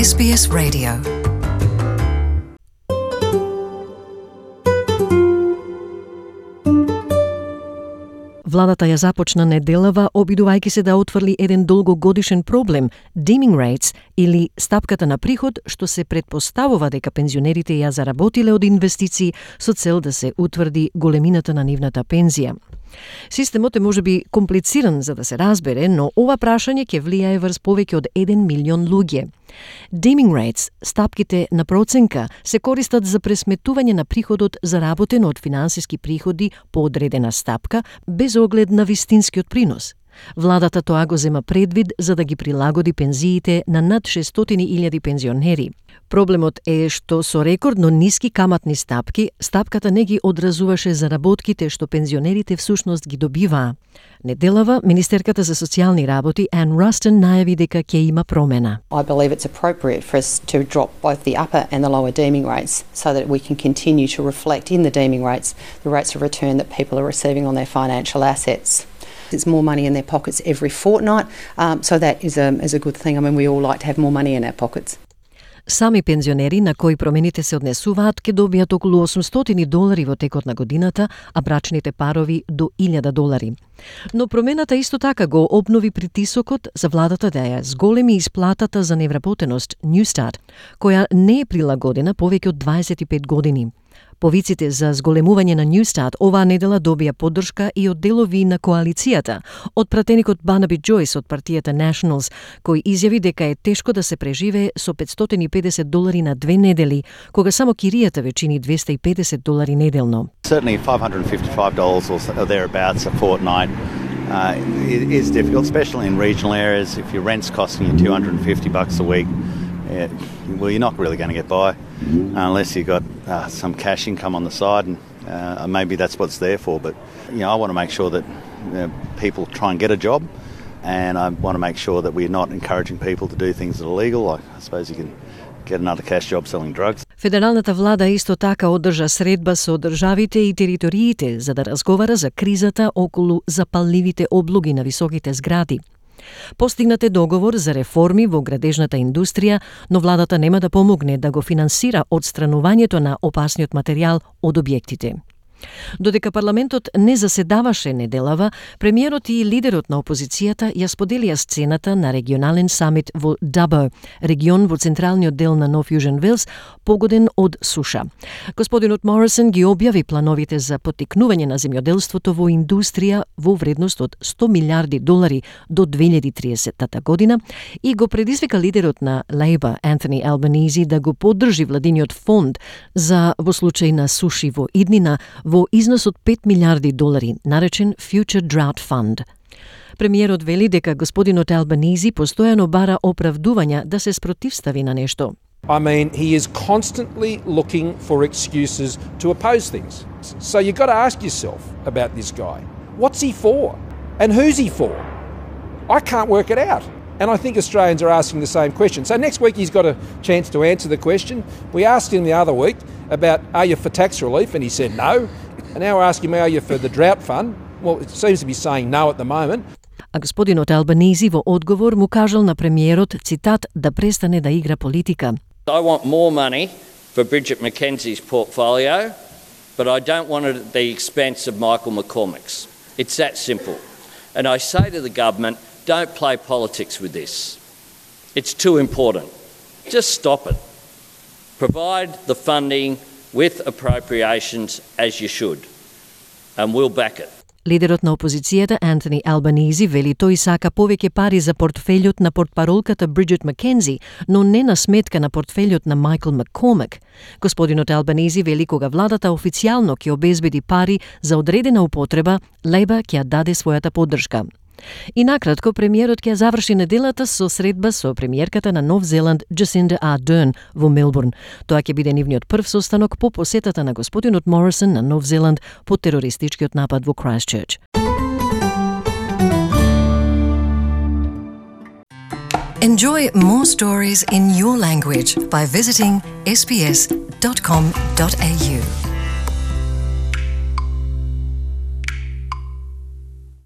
SBS Radio. Владата ја започна неделава, обидувајќи се да отфрли еден долгогодишен проблем, dimming rates, или стапката на приход, што се претпоставува дека пензионерите ја заработиле од инвестиции со цел да се утврди големината на нивната пензија. Системот е можеби комплициран за да се разбере, но ова прашање ќе влијае врз повеќе од 1 милион луѓе. Dimming rates, стапките на проценка, се користат за пресметување на приходот заработен од финансиски приходи по одредена стапка, без оглед на вистинскиот принос. Владата тоа го зема предвид за да ги прилагоди пензиите на над 600.000 пензионери. Проблемот е што со рекордно ниски каматни стапки, стапката не ги одразуваше заработките што пензионерите всушност ги добиваа. Неделава, министерката за социјални работи Ann Ruston најави дека ќе има промена. I believe it's appropriate for us to drop both the upper and the lower deeming rates so that we can continue to reflect in the deeming rates the rates of return that people are receiving on their financial assets. It's more money in their pockets every fortnight, so that is a good thing. I mean, we all like to have more money in our pockets. Сами пензионери на кои промените се однесуваат ќе добијат околу $800 во текот на годината, а брачните парови до $1,000. Но промената исто така го обнови притисокот за владата да ја зголеми исплатата за невработеност Newstart, која не е прилагодена повеќе од 25 години. Повиците за зголемување на Newstart оваа недела добија поддршка и од делови на коалицијата, од пратеникот Barnaby Joyce од партијата Nationals, кој изјави дека е тешко да се преживее со $550 на 2 недели, кога само киријата ве чини $250 неделно. Certainly $555 or thereabouts a fortnight is difficult, especially in regional areas. If your rent's costing you $250 a week, well, you're not really going to get by unless you've got some cash income on the side, and maybe that's what it's there for. But I want to make sure that people try and get a job, and I want to make sure that we're not encouraging people to do things that are illegal. Like, I suppose you can get another cash job selling drugs. Федералната влада исто така одржа средба со државите и териториите за да разговара за кризата околу запалливите облоги на високите згради. Постигнат е договор за реформи во градежната индустрија, но владата нема да помогне да го финансира одстранувањето на опасниот материјал од објектите. Додека парламентот не заседаваше неделава, премиерот и лидерот на опозицијата ја споделија сцената на регионален самит во Dubbo, регион во централниот дел на Нов Јужен Велс, погоден од суша. Господинот Морисон ги објави плановите за поттикнување на земјоделството во индустрија во вредност од $100 милиарди до 2030 година и го предизвика лидерот на Labour, Anthony Albanese, да го поддржи владиниот фонд за во случај на суши во иднина во износ од $5 милиарди, наречен Future Drought Fund. Премиерот вели дека господинот Албанези постојано бара оправдувања да се спротивстави на нешто. I mean, he is constantly looking for excuses to oppose things. So you've got to ask yourself about this guy. What's he for? And who's he for? I can't work it out. And I think Australians are asking the same question. So next week he's got a chance to answer the question. We asked him the other week about, are you for tax relief? And he said no. And now we're asking him, are you for the drought fund? Well, it seems to be saying no at the moment. А господинот Албанези во одговор му кажал на премиерот, цитат, да престане да игра политика. I want more money for Bridget McKenzie's portfolio, but I don't want it at the expense of Michael McCormick's. It's that simple. And I say to the government, don't play politics with this. It's too important. Just stop it. Provide the funding with appropriations as you should, and we'll back it. Лидерот на опозицијата Антони Албанези вели тој сака повеќе пари за портфелјот на портпаролката Бриджит Маккензи, но не на сметка на портфелјот на Майкл Маккормак. Господинот Албанези вели кога владата официјално ќе обезбеди пари за одредена употреба, Лейбар ќе ја даде својата поддршка. И накратко, премиерот ќе заврши неделата со средба со премиерката на Нов Зеланд Джасинда Ардерн во Мелбурн. Тоа ќе биде нивниот прв состанок по посетата на господинот Морисон на Нов Зеланд по терористичкиот напад во Крайстчерч. Enjoy more stories in your language by visiting sbs.com.au.